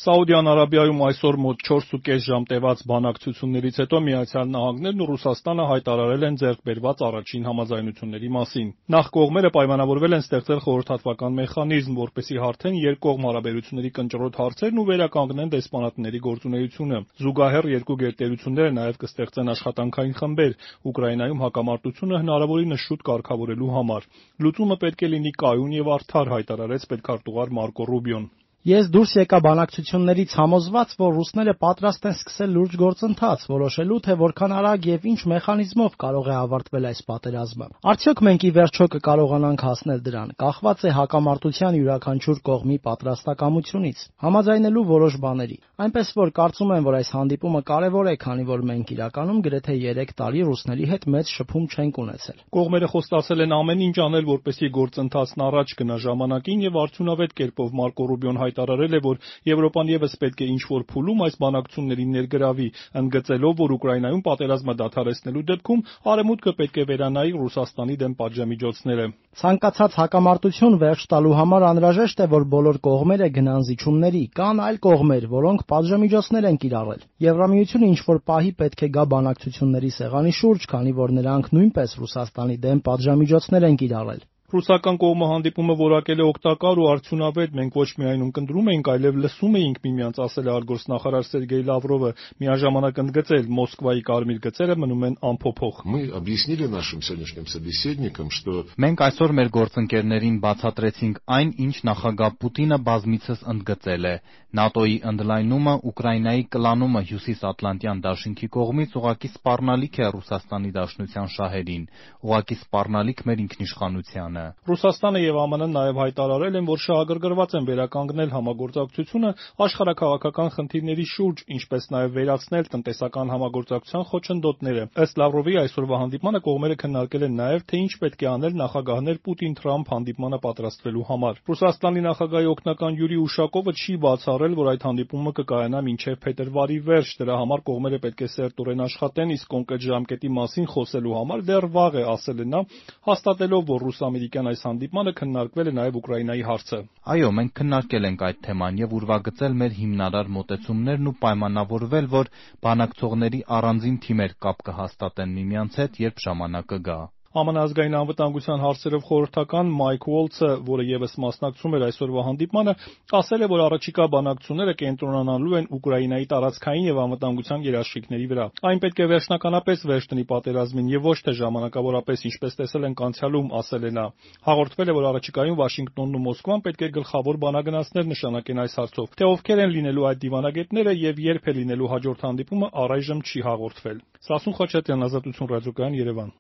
Սաուդյան Արաբիայում այսօր մոտ 4,5 ժամ տևած բանակցություններից հետո Միացյալ Նահանգներն ու Ռուսաստանը հայտարարել են ձեռք բերված առաջին համաձայնությունների մասին։ Նախ կողմերը պայմանավորվել են ստեղծել խորհրդատվական մեխանիզմ, որպեսզի հարթեն երկկողմ հարաբերությունների կնճռոտ հարցերն ու վերականգնեն դեսպանատների գործունեությունը։ Զուգահեռ երկու գերտերությունները նաև կստեղծեն աշխատանքային խմբեր Ուկրաինայում հակամարտությունը հնարավորինս շուտ կարգավորելու համար։ Լուծումը պետք է լինի կայուն և արդար, հայտարարեց պետքարտուղար Մարկո Ռուբիոն։ Ես դուրս եկա բանակցություններից համոզված, որ ռուսները պատրաստ են սկսել լուրջ գործընթաց, որոշելու, թե որքան արագ եւ ինչ մեխանիզմով կարող է ավարտվել այս պատերազմը։ Արդյոք մենք ի վերջո կկարողանանք հասնել դրան, կախված է հակամարտության յուրաքանչյուր կողմի պատրաստակամությունից, համաձայնելու որոշ բաների։ Այնպես որ կարծում եմ, որ այս հանդիպումը կարևոր է, քանի որ մենք իրականում գրեթե 3 տարի ռուսների հետ մեծ շփում չենք ունեցել։ Կողմերը խոստացել են ամեն ինչ անել, որպեսզի գործընթացն առաջ գնա ժամանակին եւ արդյունավետ կերպով։ Մարկո Ռուբիոն հայտարարել է, որ Եվրոպան ևս պետք է ինչ-որ փուլում այս բանակցություններին ներգրավի, ընդգծելով, որ Ուկրաինայում պատերազմը դադարեցնելու դեպքում Արևմուտքը պետք է վերանայի Ռուսաստանի դեմ պատժամիջոցները։ Ցանկացած հակամարտություն վերջ տալու համար անհրաժեշտ է, որ բոլոր կողմերը գնան զիջումների։ Կան այլ կողմեր, որոնք պատժամիջոցներ են կիրառել։ Եվրամիությունը ինչ-որ պահի պետք է գա բանակցությունների սեղանի շուրջ, քանի որ նրանք նույնպես Ռուսաստանի դեմ պատժամիջոցներ են կիրառել։ Ռուսական կողմը հանդիպումը որակել է օգտակար ու արդյունավետ։ Մենք ոչ միայն ունկնդրում էինք, այլև լսում էինք միմյանց, ասել է արտգործնախարար Սերգեյ Լավրովը, միաժամանակ ընդգծել՝ Մոսկվայի կարմիր գծերը մնում են անփոփոխ։ Մենք այսօր մեր գործընկերներին բացատրեցինք այն, ինչ նախագահ Պուտինը բազմիցս ընդգծել է. ՆԱՏՕ-ի ընդլայնումը, Ուկրաինայի կլանումը Հյուսիսատլանտյան դաշինքի կողմից ուղղակի սպառնալիք է Ռուսաստանի Դաշնության շահերին, ուղղակի սպառնալիք մեր ինքնիշխանությանը։ Ռուսաստանը եւ ԱՄՆ-ն նաև հայտարարել են, որ շահագրգռված են վերականգնել համագործակցությունը աշխարհաքաղաքական խնդիրների շուրջ, ինչպես նաև վերացնել տնտեսական համագործակցության խոչընդոտները։ Ըստ Լավրովի այսօրվա հանդիպմանը կողմերը քննարկել են նաև, թե ինչ պետք է անել նախագահներ Պուտին-Թրամփ հանդիպմանը պատրաստվելու համար։ Ռուսաստանի նախագահի օգնական Յուրի Ուշակովը չի բացառել, որ այդ հանդիպումը կկայանա մինչև փետրվարի վերջ։ Դրա համար կողմերը պետք է սերտորեն աշխատեն, իսկ կոնկրետ ժամկետի մասին խոսելու համար դեռ վաղ է, ասել է նա, հաստատելով, որ ռուս-ամերիկյան այս հանդիպմանը քննարկվել է նաև Ուկրաինայի հարցը։ Այո, մենք քննարկել ենք այդ թեման եւ ուրվագծել մեր հիմնարար մոտեցումներն ու պայմանավորվել, որ բանակցողների առանձին թիմեր կապ կհաստատեն միմյանց հետ, երբ ժամանակը գա։ ԱՄՆ ազգային անվտանգության հարցերով խորհրդական Մայք Ուոլցը, որը ևս մասնակցում էր այսօրվա հանդիպմանը, ասել է, որ առաջիկա բանակցությունները կենտրոնանալու են Ուկրաինայի տարածքային եւ անվտանգության երաշխիքների վրա։ Այն պետք է վերջնականապես վերջ տնի պատերազմին եւ ոչ թե ժամանակավորապես, ինչպես տեսել ենք անցյալում, ասել է նա։ Հաղորդվել է, որ առաջիկայում Վաշինգտոնն ու Մոսկվան պետք է գլխավոր բանագնացներ նշանակեն այս հարցով։ Թե ովքեր են լինելու այդ դիվանագետները եւ երբ է լինելու հաջորդ հանդիպումը, առայժմ չի հաղորդվել։ Սասուն Խաչատրյան, Ազատություն ռադիոկայան, Երևան։